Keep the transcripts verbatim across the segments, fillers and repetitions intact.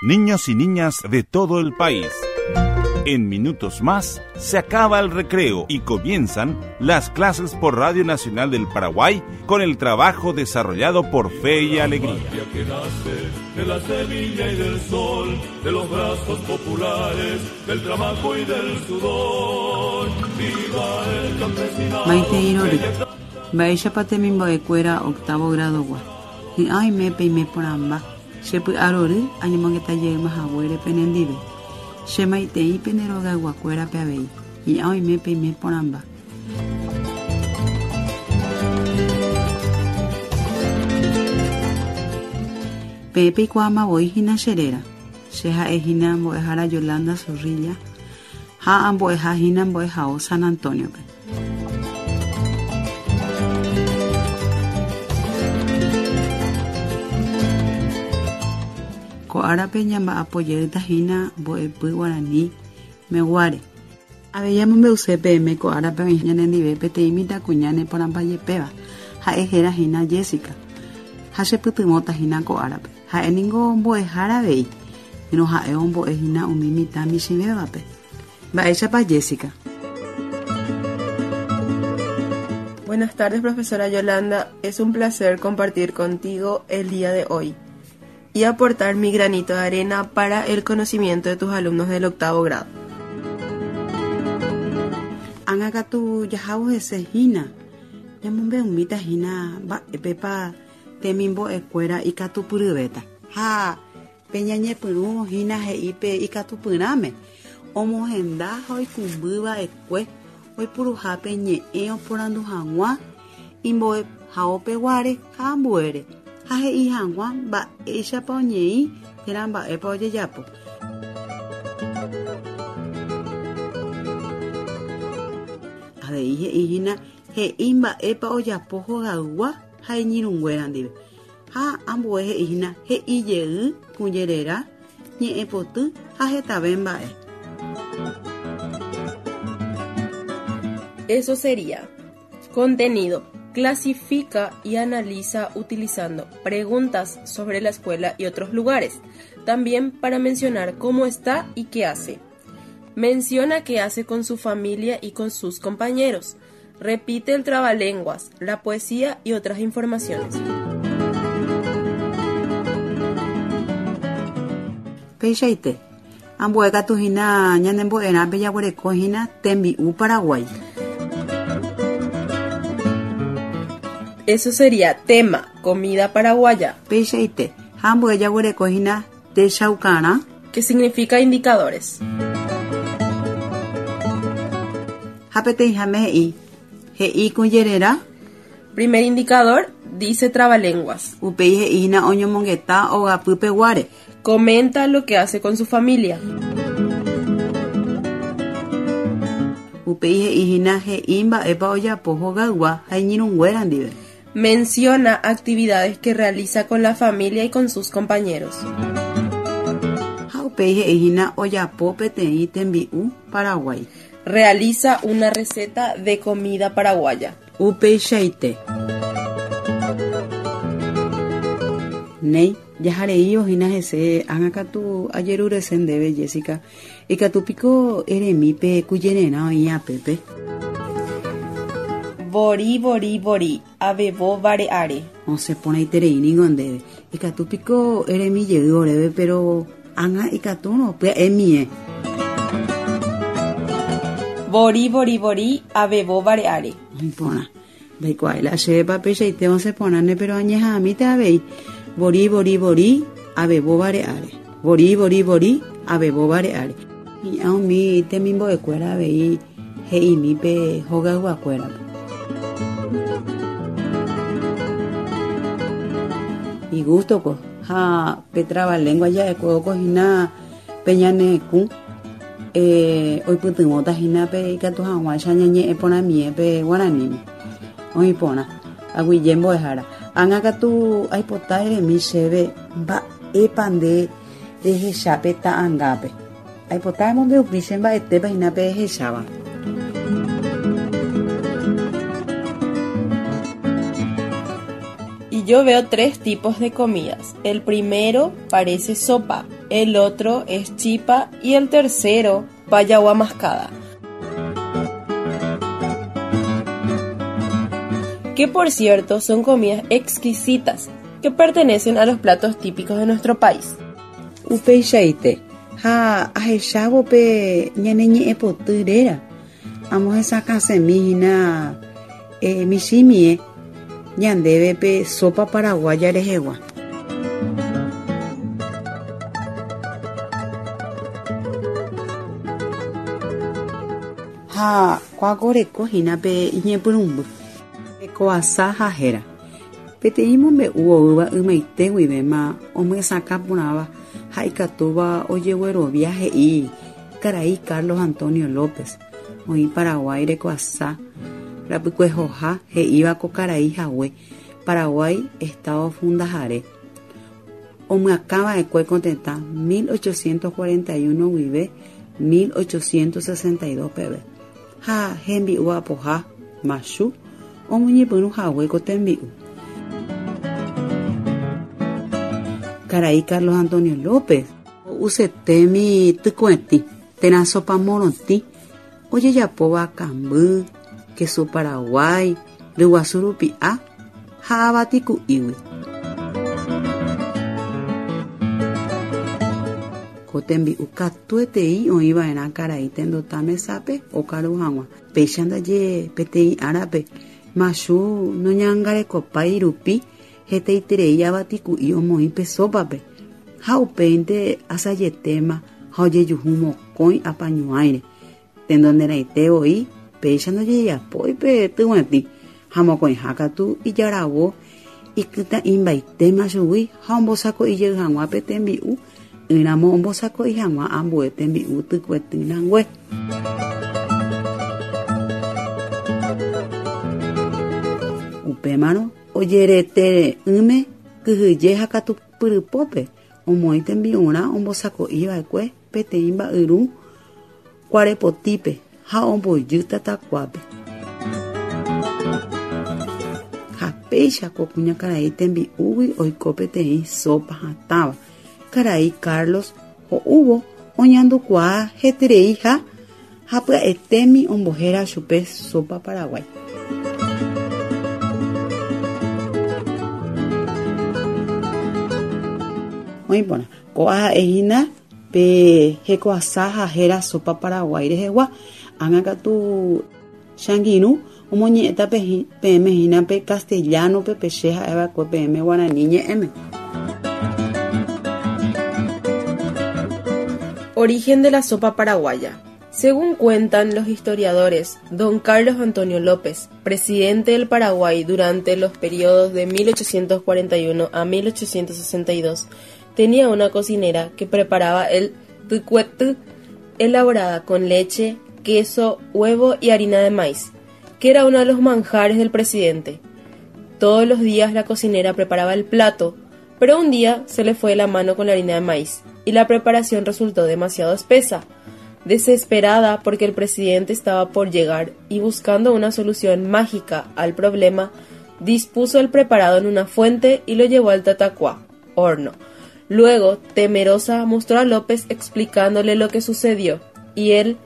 Niños y niñas de todo el país. En minutos más se acaba el recreo y comienzan las clases por Radio Nacional del Paraguay con el trabajo desarrollado por Fe y Alegría. Que nace de la semilla y del sol, de los brazos populares, del trabajo y del sudor. Viva el campesinado. Maite Irori. Mba'éichapa temimbo'ekuéra octavo grado-gua. Hi'ã oime peime porãmba. Che py'arory añemongetajeýma haguére penendive. Che maitei pene rogayguakuérape avei. Hi'ã oime peime porãmba. Peẽ peikuaamavoi hína che réra. Che ha'ehína mbo'ehára Yolanda Zorrilla ha ambo'eha hína mbo'ehao San Antonio-pe. Ko árape ñamba'apojeýta hína mbo'epy guarani meguáre. Avei amombe'use peẽme ko árape oĩ ñanendive peteĩ mitãkuña neporãmbajepéva. Ha'e héra hína Jessica. Ha chepytyvõta hína ko árape. Ha'éniko mbo'ehára avei. Ỹrõ ha'e ombo'e hína umi mitã michĩvévape. Mba'éichapa Jessica? Buenas tardes, profesora Yolanda. Es un placer compartir contigo el día de hoy y aportar mi granito de arena para el conocimiento de tus alumnos del octavo grado. Ág̃akatu jahávo hese hína. Ñamombe'umíta hína mba'épepa temimbo'ekuéra ikatupyryvéta. Ha pe ñañepyrũ hína he'i pe ikatupyrãme omohenda ha oikũmbyva'ekue oipuruhápe ñe'ẽ oporandu hag̃ua imbo'ehaopeguáre ha ambuére ha he'i hag̃ua mba'éichapa oñeĩ térã mba'épa ojejapo. Avei he'i hína he'i mba'épa ojapo hogaygua ha iñirũnguéra ndive. Ha ambue he'i hína he'i jey kũjerera ñe'ẽpoty ha hetave mba'e. Eso sería contenido. Clasifica y analiza utilizando preguntas sobre la escuela y otros lugares. También para mencionar cómo está y qué hace. Menciona qué hace con su familia y con sus compañeros. Repite el trabalenguas, la poesía y otras informaciones. Peichaite. Ambue katu hína ñanembo'erãpe jaguereko hína tembi'u Paraguay. Eso sería tema, comida paraguaya. Peichaite. Ha ambue jaguereko hína techaukarã. Que significa indicadores. Ha peteĩháme he'i. He'i kũjererã. Primer indicador, dice trabalenguas. Upéi he'i hína oñomongeta ogapypeguáre. Comenta lo que hace con su familia. Upéi he'i hína he'i mba'épa ojapo hogaygua ha iñirũnguéra ndive. Menciona actividades que realiza con la familia y con sus compañeros. Ha upéi he'i hína ojapo peteĩ tembi'u Paraguay. Realiza una receta de comida paraguaya. Upeichaite. Néi, jahareívo hína hese ág̃akatu ajerurese ndéve Jessica. Ikatúpiko eremípe kũjererã oĩ apépe. Vori, vori, vori, avevo vare'áre. Osẽ porãiterei niko ndéve. Ikatúpiko eremi jey oréve, pero ág̃a ikatúrõ pya'emie. Vori, vori, vori, avevo vare'áre. Iporã. Ndaikuaái la chévepa peichaite osẽ porãne, pero añeha'ãmíta avei. Vori, vori, vori, avevo vare'áre. Vori, vori, vori, avevo vare'áre. Hi'ã umi temimbo'ekuéra avei he'imi pe hogayguakuérape. Igustoko ha pe trabalengua ja'ekuévo hína pe ñanekũ eh, oipytyvõta hína pe ikatu hag̃uáicha ñañe'ẽ porãmie pe guaraníme. Oĩ porã. Aguyje mbo'ehára. Ág̃akatu aipota eremi chéve mba'épa nde rehechápe ta'ãngápe. Aipota emombe'upi che mba'etépa hína pe ehecháva. Y Yo veo tres tipos de comidas. El primero parece sopa, el otro es chipa y el tercero payagua mascada. Que por cierto son comidas exquisitas que pertenecen a los platos típicos de nuestro país. Upeichaite, ha ahechávo pe ñane ñe'ẽpoty réra. Amohesakãsemi hína eh, michĩmie ñandéve pe sopa paraguaya rehegua. Ha kuakoreko hína pe iñepyrũmby. Hekoasa ha héra. Peteĩ mombe'u oúva ymaite guivéma omyesakã porãva ha ikatúva ojeguerovia he'i karai Carlos Antonio López oĩ Paraguái rekoasa rapykuehoha he'íva ko karai hague Paraguái Estado fundahare. Omyakãva'ekue ko tetã mil ochocientos cuarenta y uno guive mil ochocientos sesenta y dos peve ha hembi'u apoha machu omoñepyrũ hague ko tembi'u. Karai Carlos Antonio López usetemi tykuetĩ térã sopa morotĩ ojejapóva kamby, kesu Paraguái, ryguasu rupi'a ha avatiku'ígui. Ko tembi'u katuetei oĩva'erã karai tendota mesápe okaru hag̃ua. Péicha ndaje peteĩ árape machu noñangarekopái rupi hetaiterei avatiku'i omoĩ pe sópape ha upéinte asajetéma ha ojejuhu mokõi apañuãire. Tendonderãite voi péicha ndojejapói pe tyguetĩ ha mokõiha katu ijaravo ikytã'imbaitéma chugui ha ombosako'ijey hag̃ua pe tembi'u ỹramo ombosako'i hag̃ua ambue tembi'u tykuetỹrangue. Upémarõ ojeretere'ỹme kyhyje ha katu pyrypópe omoĩ tembi'urã ombosako'iva'ekue peteĩ mba'yru kuarepotípe ha ombojy tatakuápe. Ha péicha ko kuñakarai tembi'úgui oiko peteĩ sopa hatãva. Karai Carlos ho'úvo oñandukuaa heterei ha ha pya'etémi ombohéra chupe sopa Paraguái. Oĩporã, ko'ã ha'e hína pe hekoasa ha héra sopa Paraguái rehegua. Ág̃a katu changirũ omoñe'ẽta peẽme hína pe castellano-pe pe che ha'eva'ekue peẽme guarani ñe'ẽme. Origen de la sopa paraguaya. Según cuentan los historiadores, don Carlos Antonio López, presidente del Paraguay durante los periodos de mil ochocientos cuarenta y uno a mil ochocientos sesenta y dos, tenía una cocinera que preparaba el tykuetỹ, elaborada con leche, queso, huevo y harina de maíz, que era uno de los manjares del presidente. Todos los días la cocinera preparaba el plato, pero un día se le fue la mano con la harina de maíz y la preparación resultó demasiado espesa. Desesperada porque el presidente estaba por llegar y buscando una solución mágica al problema, dispuso el preparado en una fuente y lo llevó al tatacuá, horno. Luego, temerosa, mostró a López explicándole lo que sucedió, y él,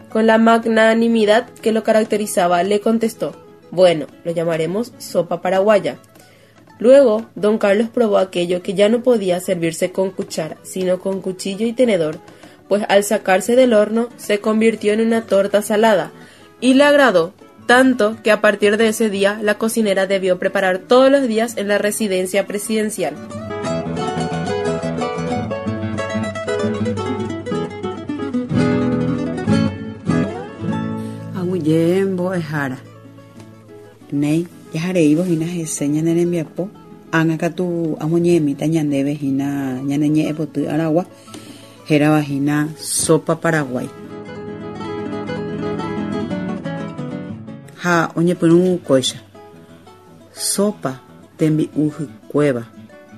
con la magnanimidad que lo caracterizaba, le contestó: Bueno, lo llamaremos sopa paraguaya. Luego, don Carlos probó aquello que ya no podía servirse con cuchara, sino con cuchillo y tenedor, pues al sacarse del horno se convirtió en una torta salada, y le agradó tanto que a partir de ese día la cocinera debió preparar todos los días en la residencia presidencial. Aguyje mbo'ehára. Néi, jahareívo hína hese ñane rembiapo. Ág̃a katu amoñe'ẽmíta ñandéve hína ñane ñe'ẽpoty aragua. Hérava hína sopa Paraguái. Ha oñepyrũ kóicha. Sopa tembi'u hykuéva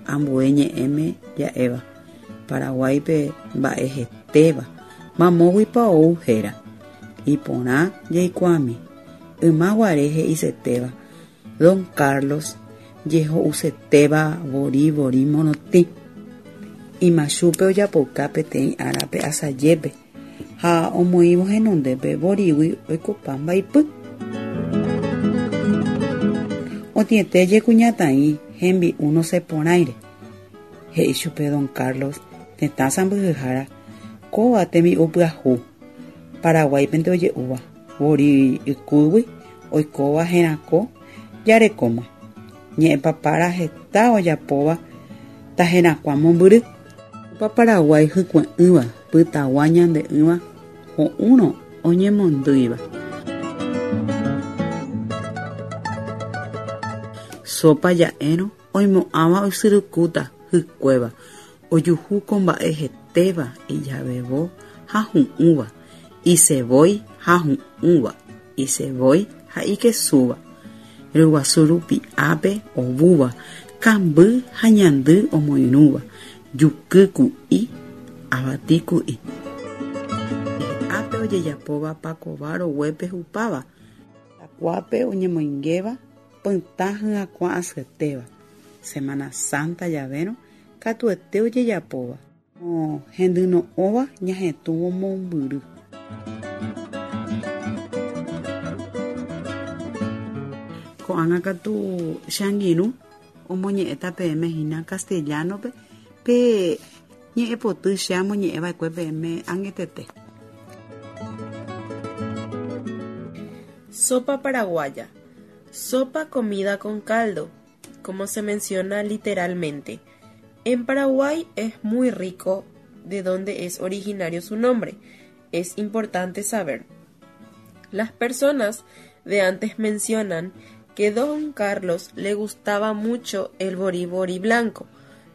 ambue ñe'ẽme ja'éva. Paraguáipe mba'e hetéva. Mamóguipa ou héra. Iporã jaikuaami. Yma guare he'isetéva. Don Carlos Jeho'usetéva vori vori morotĩ. Imachupe ojapouka peteĩ árape asajépe ha omoĩvo henondépe vorígui oikopa mbaipy. Otĩete kuñataĩ hembi'u nosẽporãire. He'i chupe don Carlos tetã sãmbyhyhára kóva tembi'u pyahu Paraguáipente oje'úva vori ykúgui oikóva herako jarekóma. Ñe'ẽpapára heta ojapóva taherakuã mombyry. Opa Paraguái hykue'ỹva pytagua ñande'ỹva ho'úrõ oñemondýiva. Sopa ja'érõ oimo'ãva oisyrykúta hykuéva ojuhu ko mba'e hetéva ijavevo ha hu'ũva isevói ha hu'ũva isevói ha ikesúva ryguasu rupiápe ovúva kamby ha ñandy omoirũva juky ku'i avati ku'i. Ápe ojejapóva pakova roguépe hupáva takuápe oñemoingéva pytã hyakuã asyetéva Semana Santa javérõ katuete ojejapóva hendyno'õva ñahetũvo mombyry. Ko'ág̃a katu che angirũ omoñe'ẽta peẽme hína castellano-pe pe ñe'ẽpoty che amoñe'ẽva'ekue peẽme añetete. Sopa paraguaya. Sopa comida con caldo, como se menciona literalmente. En Paraguay es muy rico, de donde es originario su nombre. Es importante saber. Las personas de antes mencionan que don Carlos le gustaba mucho el borí borí blanco.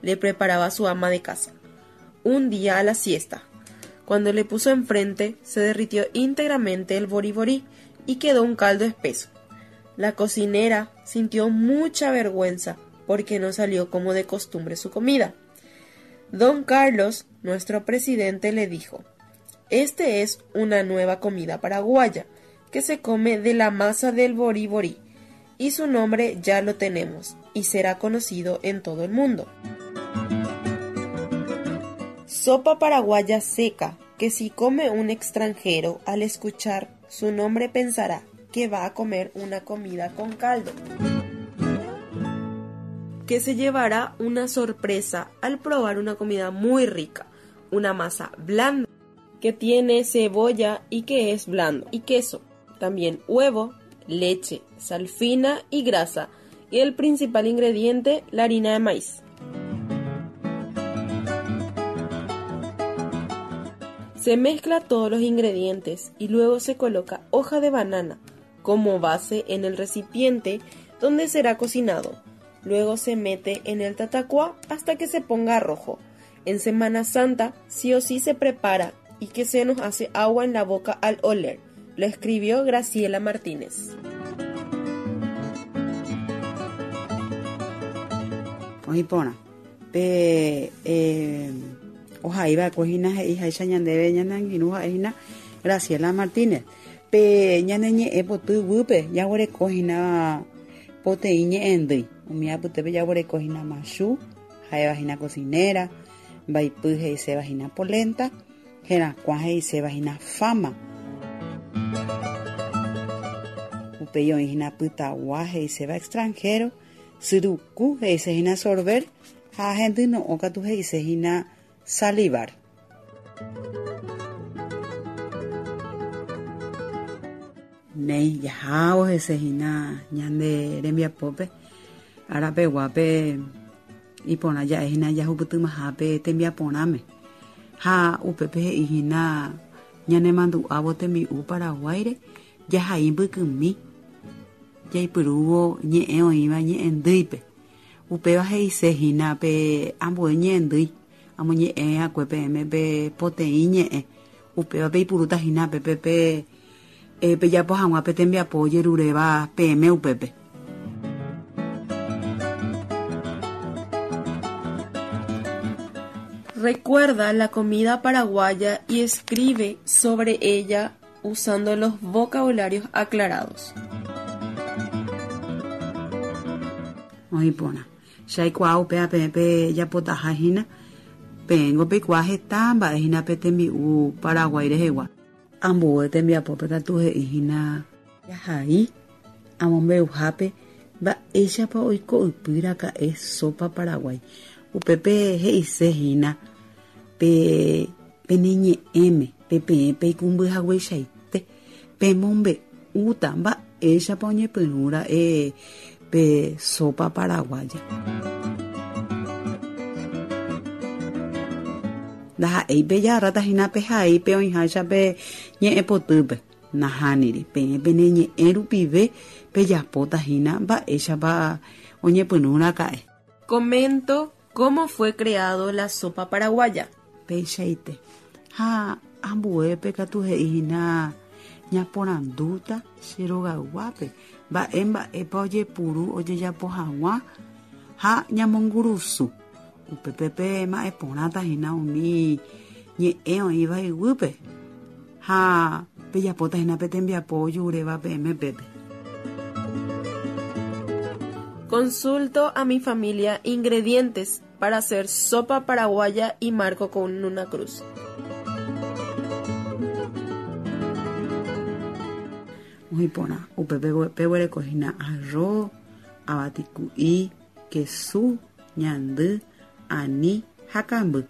Le preparaba su ama de casa. Un día a la siesta, cuando le puso enfrente, se derritió íntegramente el borí borí y quedó un caldo espeso. La cocinera sintió mucha vergüenza porque no salió como de costumbre su comida. Don Carlos, nuestro presidente, le dijo: Este es una nueva comida paraguaya que se come de la masa del borí borí, y su nombre ya lo tenemos y será conocido en todo el mundo. Sopa paraguaya seca, que si come un extranjero al escuchar su nombre pensará que va a comer una comida con caldo, que se llevará una sorpresa al probar una comida muy rica, una masa blanda que tiene cebolla y que es blando, y queso, también huevo, leche, sal fina y grasa, y el principal ingrediente, la harina de maíz. Se mezcla todos los ingredientes y luego se coloca hoja de banana como base en el recipiente donde será cocinado. Luego se mete en el tatacuá hasta que se ponga rojo. En Semana Santa sí o sí se prepara y que se nos hace agua en la boca al oler. Lo escribió Graciela Martínez. Oipona, pe eh, ohaiva'ekue hína he'iháicha ñandéve ñane angirũ ha'ehína Graciela Martínez. Pe ñane ñe'ẽ poty guýpe jaguereko hína poteĩ ñe'ẽndýi. Umi apytépe jaguereko hína machu, ha'éva hína cocinera, mbaipy he'iséva hína polenta, herakuã he'iséva hína fama. Upéi oĩ hína pytagua he'iséva extranjero, syruku he'ise hína sorber ha hendyno'õ katu he'ise hína salivar. Néi jahávo hese hína ñande rembiapópe arapeguápe iporã ja'e hína jahupytymahápe tembiaporãme ha upépe he'i hína ñanemandu'ávo tembi'u Paraguáire jahai mbykymi jaipyrúvo ñe'ẽ oĩva ñe'ẽndýipe. Upéva he'ise hína pe ambue ñe'ẽndýi amoñe'ẽakue peẽme pe poteĩ ñe'ẽ upéva peipurúta hína pépe pe pejapo hag̃ua pe tembiapo ojeruréva peẽme upépe. Recuerda la comida paraguaya y escribe sobre ella usando los vocabularios aclarados. Oĩ porã. Che aikuaa upéva peẽ pejapotaha hína peẽngo peikuaa heta mba'e hína pe tembi'u Paraguái rehegua. Ambue tembiapópe katu he'i hína jahai amombe'uhápe mba'éichapa oiko ypy raka'e sopa Paraguái. Upépe he'ise hína pe peneñe'ẽme pe peẽ peikũmbyhagueichaite pemombe'úta mba'éichapa oñepyrũra'e pe sopa paraguaya. Ndaha'éi pejagarráta hína pehai pe oĩháicha pe ñe'ẽpotýpe. Nahániri peẽ peneñe'ẽ rupive pejapóta hína mba'éichapa oñepyrũraka'e. Comento cómo fue creado la sopa paraguaya. Peichaite. Ha ambuépe katu he'i hína ñaporandúta che rogayguápe mba'e mba'épa ojepuru ojejapo hag̃ua ha ñamongurusu. Upépe pe mba'eporãta hína umi ñe'ẽ oĩva iguýpe ha pejapóta hína pe tembiapo ojuréva peẽme pépe. Consulto a mi familia ingredientes para hacer sopa paraguaya y marco con una cruz. Oĩ porã. Upépe peguereko hína arroz, avatiku'i, kesu, ñandy, ani ha kamby.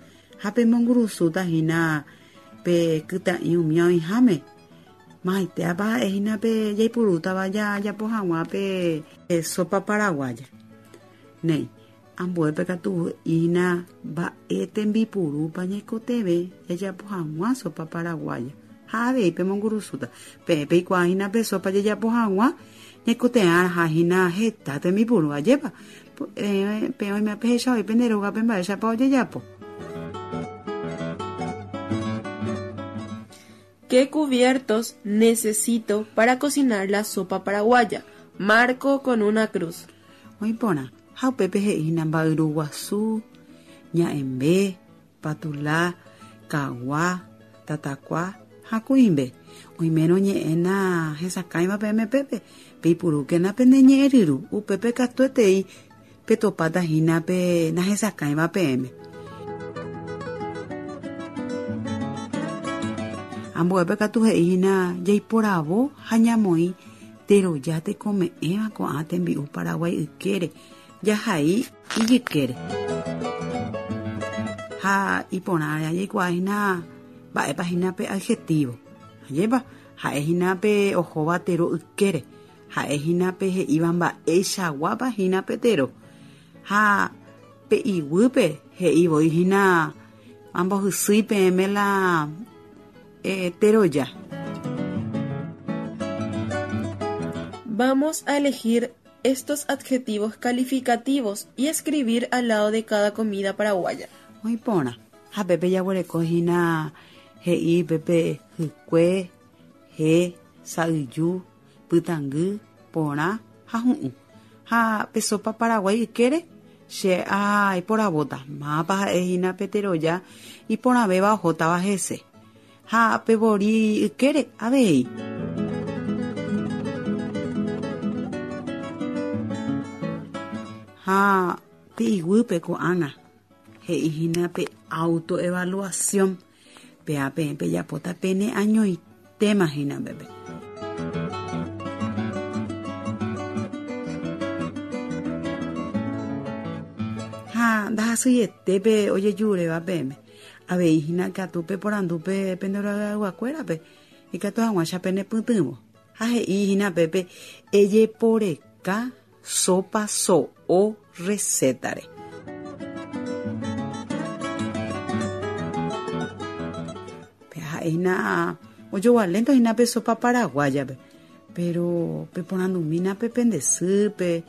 Ha pemongurusúta hína pe kytã'i umi oĩháme. Mahaitéapa ha'e hína pe jaipurútava jajapo hag̃ua pe sopa paraguaya. Néi, ambuépe katu hína mba'e tembipurúpa ñaikotevẽ jajapo hag̃ua sopa paraguaya. Ha avei pemongurusúta. Peẽ peikuaa hína pe sopa jajapo hag̃ua ñaikotevẽha hína heta tembipuru ajépa. Peẽ oime pehecha voi pende rógape mba'éichapa ojejapo. ¿Qué cubiertos necesito para cocinar la sopa paraguaya? Marco con una cruz. Oĩ porã. Ha upépe he'i hína mba'yru guasu, ña'ẽmbe, patula, kagua, tatakua ha kuimbe. Oimérõ ñe'ẽ hesakãiva peẽme pépe peipurúkena pende ñe'ẽ ryru. Upépe katuetei petopáta hína pe nahesakãiva peẽme. Ambuépe katu he'i hína jaiporavo ha ñamoĩ teroja tekome'ẽva ko'ã tembi'u Paraguái ykére jahai ijykére. Ha iporã jaikuaa hína mba'épa hína pe adjetivo. Ajépa ha'e hína pe ohóva tero ykére. Ha'e hína pe he'íva mba'eichaguápa hína pe tero. Ha pe iguýpe he'i voi hína ambohysýi peẽme la eh, teroja. Vamos a elegir estos adjetivos calificativos y escribir al lado de cada comida paraguaya. Oĩ porã. Ha pépe jaguereko hína he'i pépe hykue, he, sa'yju, pytãngy, porã ha hu'ũ. Ha pe sopa Paraguái ykére che aiporavóta. Mápa ha'e hína pe teroja iporãvéva ohótava hese. Ha pe vori ykére avei. Ha pe iguýpe ko'ág̃a he'i hína pe autoevaluación. Péa peẽ pejapóta pene añoitéma hína pépe. Ha ndahasyetépe ojejuréva peẽme. Avei hína katu peporandúpe pende rogayguakuérape ikatu hag̃uáicha penepytyvõ. Ha he'i hína pépe ejeporeka sopa so'o recetare. Pe ha'e hína ojogualénto hína pe sopa paraguayape. Pero peporandumína pe pende sýpe,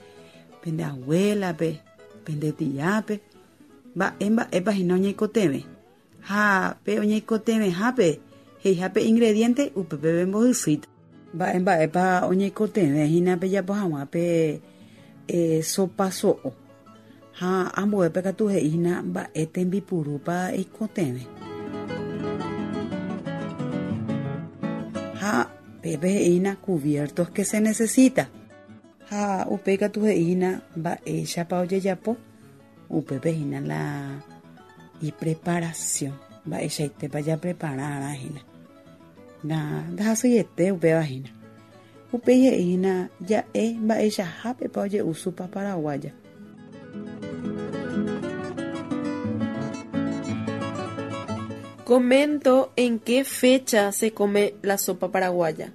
pende abuelape, pende tiápe, mba'e mba'épa hína oñeikotevẽ. Ha pe oñeikotevẽhápe he'ihápe ingrediente upépe pembohysýita. Mba'e mba'épa oñeikotevẽ hína pejapo hag̃ua pe eh, sopa so'o. Ha ambuépe katu he'i hína mba'e tembipurúpa eikotevẽ. Ha pépe he'i hína cubiertos que se necesita. Ha upéi katu he'íhína mba'éichapa ojejapo upépe hína la ipreparación mba'eichaitépa japrepararã hína na ndahasyiete upéva hína upéi he'íhína ja'e mba'eichahápepa oje'u sopa paraguaya. Comento en qué fecha se come la sopa paraguaya.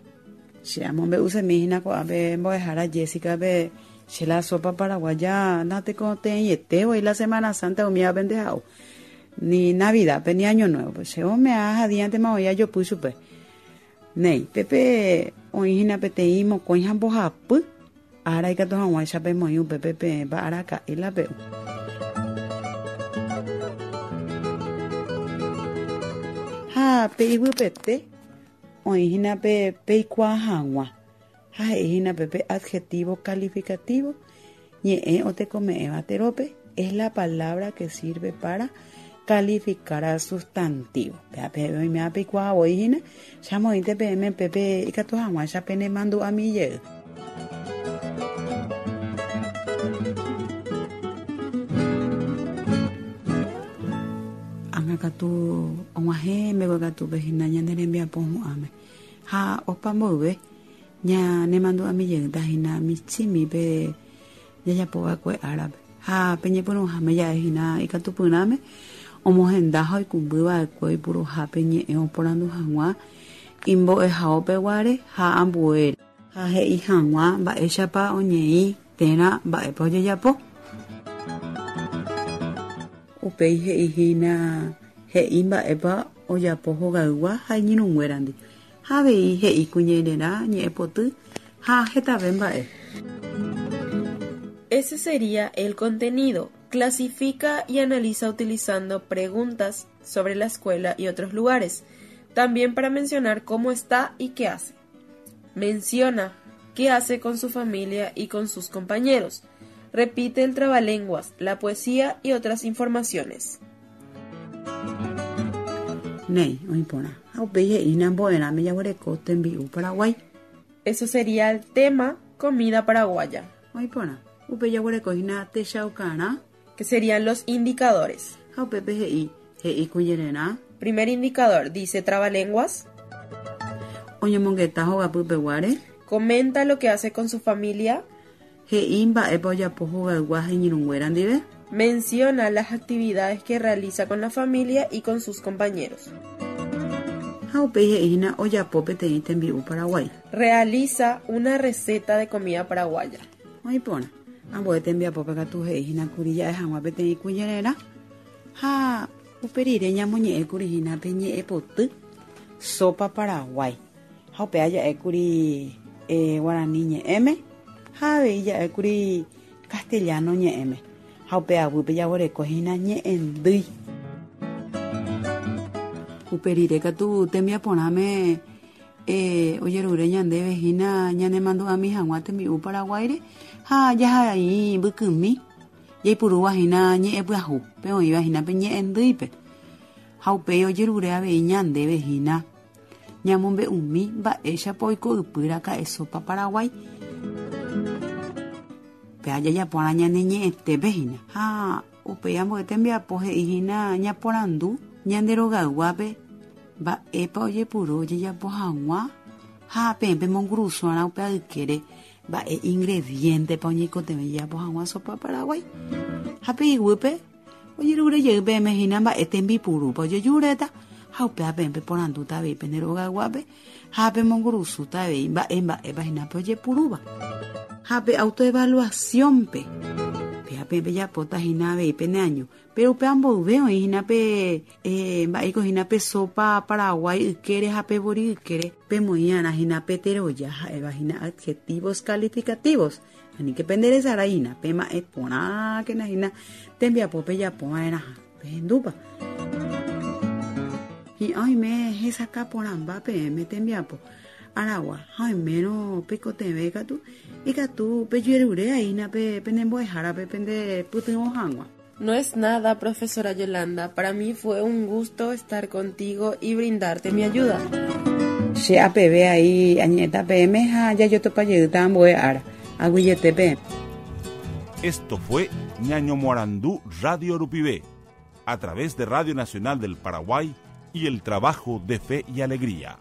Che amombe'usemi hína ko'ápe mbo'ehára Jessica-pe che la sopa paraguaya natekotevẽiete la Semana Santa umívape ndeha'u ni Navidad-pe ni Año Nuevo che ome'ã hadiántema oĩ ajopy chupe néi pépe oĩhína peteĩ mokõi ha mbohapy ára ikatu hag̃uáicha pemoĩ upépe peẽpa araka'e la pe'u. Ha pe iguýpete oĩhína pe peikuaa hag̃ua ha he'íhína pépe adjetivo calificativo ñe'ẽ otekome'ẽva terópe es la palabra que sirve para calificar al sustantivo. Péape oiméva peikuaa voihína che amoĩnte peẽme pépe ikatu hag̃uáicha penemandu'ami jey. Ág̃a katu og̃uahẽ mbeguekatúpe hína ñane rembiapo hu'ãme ha opa mboyve ñanemandu'ami jeýta hína michĩmi jajapova'ekue árape ha peñepyrũháme ja'ehína ikatupyrãme omohenda ha oikũmbyva'ekue oipuruhápe ñe'ẽ oporandu hag̃ua imbo'ehaópeguare ha ambuére ha he'i hag̃ua mba'éichapa oñeĩ térã mba'épa ojejapo. Upéi he'ihína he'i mba'épa ojapo hogaygua ha iñirũnguérandi ha avei he'i kuñererã ñe'ẽpoty ha hetave mba'e. Ese sería el contenido. Clasifica y analiza utilizando preguntas sobre la escuela y otros lugares. También para mencionar cómo está y qué hace. Menciona qué hace con su familia y con sus compañeros. Repite el trabalenguas, la poesía y otras informaciones. Néi, oĩporã. Ha upéi he'ína mbo'erãme jaguereko tembi'u Paraguay. Eso sería el tema comida paraguaya. Oĩporã. Upéi jaguereko hína techaukarã. Que serían los indicadores. Ha upépe he'i he'i kuñererã. Primer indicador, dice trabalenguas. Oñemongeta hogapypeguáre. Comenta lo que hace con su familia. He'i mba'épa ojapo hogaygua ha iñirũnguéra ndive. Menciona las actividades que realiza con la familia y con sus compañeros. Ha upéi he'ína ojapo peteĩ tembi'u Paraguay. Realiza una receta de comida paraguaya. Oĩporã. Ambue tembiapópe katu he'íhína kuri ja'e hag̃ua peteĩ kuñererã ha upe rire ñamoñe'ẽkuri hína pe ñe'ẽpoty sopa Paraguay. Ha upéva ja'ékuri eh, guarani ñe'ẽme ha avei ja'ékuri castellano ñe'ẽme ha upe aguýpe jaguereko hína ñe'ẽndýi. Upe rire katu tembiaporãme eh, ojerure ñandéve hína ñanemandu'ami hag̃ua tembi'u Paraguáire ha jahai mbykymi jaipurúva hína ñe'ẽpyahu pe oĩva hína pe ñe'ẽndýipe ha upéi ojerure avei ñandéve hína ñamombe'umi mba'éichapa oiko ypýraka'e sopa Paraguay. Péa jajaporã ñane ñe'ẽtépe hína ha upéi ambue tembiapo he'íhína ñaporandu ñande rogayguápe mba'épa ojepuru ojejapo hag̃ua ha peẽ pemongurusuarã upe aykére mba'e ingredientepa oñeikotevẽ jajapo hag̃ua sopa Paraguay. Ha pe iguýpe ojerure jey peẽme hína mba'e tembipurúpa ojejuréta ha upéva peẽ peporandúta avei pende rogayguápe ha pemongurusúta avei mba'e mba'épa hína pe ojepurúva. Ha pe autoevaluación-pe péa peẽ pejapóta hína avei pene año pero upe amboyve oĩ hína pe eh, mba'éiko hína pe sopa Paraguay ykére ha pe vori ykére pemoĩ'arã hína pe teroja ha'éva hína adjetivos calificativos aníke penderesarái hína pema'ẽ porãkena hína tembiapo pejapova'erãha pehendúpa. Hi'ã oime hesakã porãmba peẽme tembiapo aragua ha oimérõ peikotevẽ katu ikatu pejerure aína pe penembo'ehárape pendepytyvõ hag̃ua. No es nada, profesora Yolanda. Para mí fue un gusto estar contigo y brindarte mi ayuda. Che apeve ahí añe'ẽta peẽme ha jajotopajeyta ambue ára. Aguyjetépe. Esto fue Ñañomoarandú Radio Rupivé, a través de Radio Nacional del Paraguay y el trabajo de Fe y Alegría.